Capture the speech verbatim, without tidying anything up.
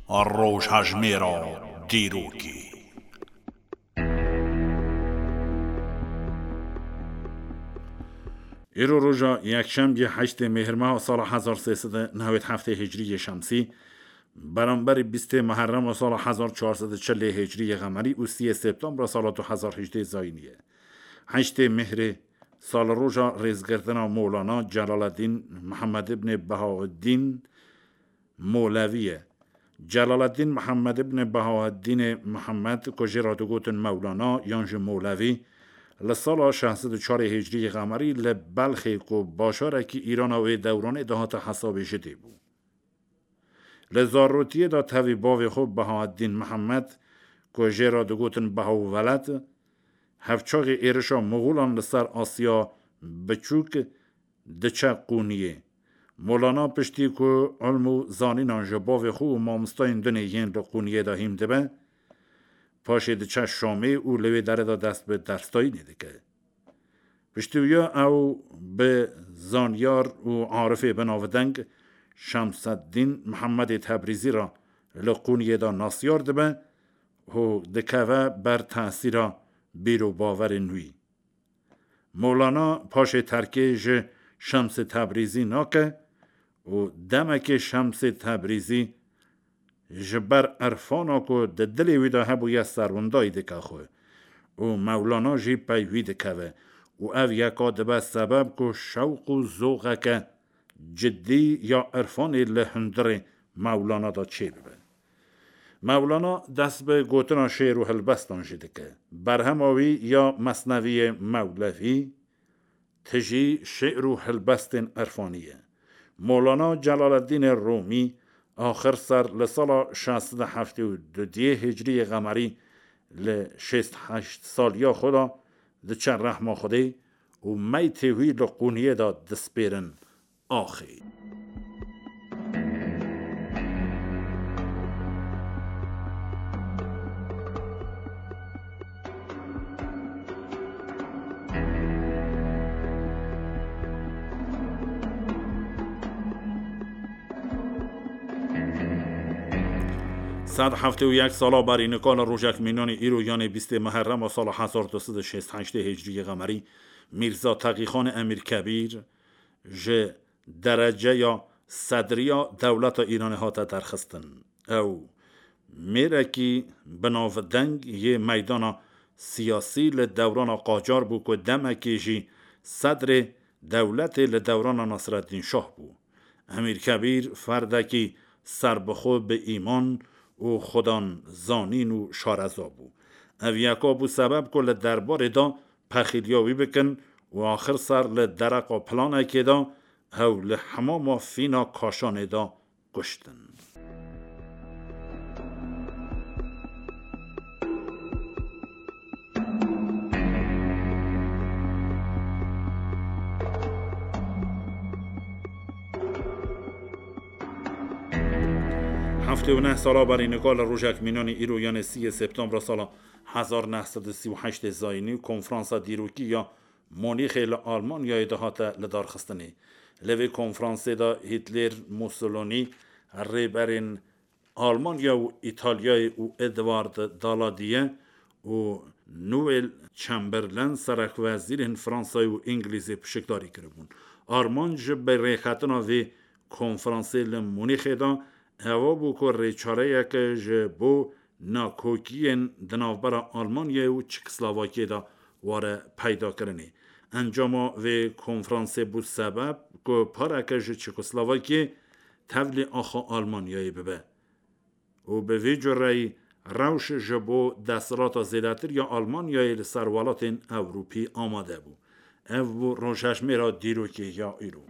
Rojhejmêra dîrokê. Îro roja yekşembiye heştê Mêhrmeha sala hezar sê sed û newêd heftê Hicriyê Şemsî, beramberî bîstê Muherrema sala hezar çar sed û çilê Hicriyê Qemerî û siyê Septembra sala du hezar hejdê Zayînî ye. Heştê Mêhrê salroja rêzgirtina Mowlana Celaleddîn Mihemed ibnê Behaeddîn Molevî ye. Celaleddîn Mihemed ibn Behaeddînê Mihemed, ku jê re digotin Mewlana yan jî Molevî, li sala şeş sed û çarê Hicriyê Qemerî li Belxê, ku bajarekî Îrana wê dewranê dihate hesabê jidê bû. Li zarotiyê de tevî bavê xwe Behaeddîn Mihemed, ku jê re digotin Behawveled, hevçaxê êrişa Moxolan li ser Asya Biçûk diçe Qûniyê. Molana piştî ku ilm û zanînan ji bavê xwe û mamostayên din ê yên li Qûniyê de hîn dibe, paşê diçe Şamê û li wê derê de dest bi dersdayînê dike. Piştî wiya ew bi zanyar û arifê binavdeng Şemseddîn Mihemedê Tebrîzî re li Qûniyê de nasyar dibe û dikeve ber tesîra bîr û baverên wî. Mewlana paşê terkê ji Şemsê Tebrîzî nake û demekê Şemsê Tebrîzî ji ber irfana ku di dilê wî de hebûye serwindayî dike xwe û Mewlana jî pey wî dikeve û ev yeka dibe sebeb ku şewq û zoxeke cidî ya irfanê li hundirê Mewlana de çêbibe. Mewlana dest bi gotina şêr û hilbestan jî dike. Berhema wî ya Mesneviyê Mewlevî tijî şêr û hilbestên irfanî ye. Molana Celaleddînê Rûmî axir ser li sala şeş sed û heftê û duyê Hicriyê Qemerî li şêst heşt saliya xwe de diçe rehma Xwedê û meytê wî li Qûniyê de dispêrin axê. Sed heftê û yek sala berî nika li rojek mînanî îro, yanê bîstê Meherrema sala hezar du sed û şêst heştê Hicriyê Qemerî, Mîrza Teqîxanê Emîr Kebîr ji dereceya sedriya dewleta Îranê hate derxistin. Ew mêrekî binavdeng yê meydana siyasî li dewrana qacar bû ku demekê jî sedrê dewletê li dewrana Nasreddîn Şah bû. Emîr Kebîr ferdekî serbixwe bi îman û xudan zanîn û şareza bû. Ev yeka bû sebeb ku li derbarê de pexîliya wî bikin û axir ser li dereqa planekê de ew li hemama Fîna Kaşanê de kuştin. Heftê û neh sala berî nika li rojek mînanî îro, yanê siyê Septembra sala hezar neh sed û sî û heştê Zayînî, konferansa dîrokî ya Munîxê li Almanyayê de hate lidarxistinê. Li vê konferansê de Hîtler, Mussolini, rêberên Almanya û Îtalyayê û Edward Daladiye û Newel Chamberlain serekwezîrên Fransayê û Îngilîzê pişikdarî kiribûn. Armanc ji bi rêxistina vê konferansê li Munîxê de eva bû ku rêçareyeke ji bo nakokiyên di navbera Almanyayê û Çekoslovakiyê de were peydakirinê. Encama vê konferansê bû sebeb ku pareke ji Çekoslovakiyê tevlî axa Almanyayê bibe û bi vî cureyî rewş ji bo desthilata zêdetir ya Almanyayê li ser welatên Ewropî amade bû. Ev bû rojhejmêra dîrokê ya îro.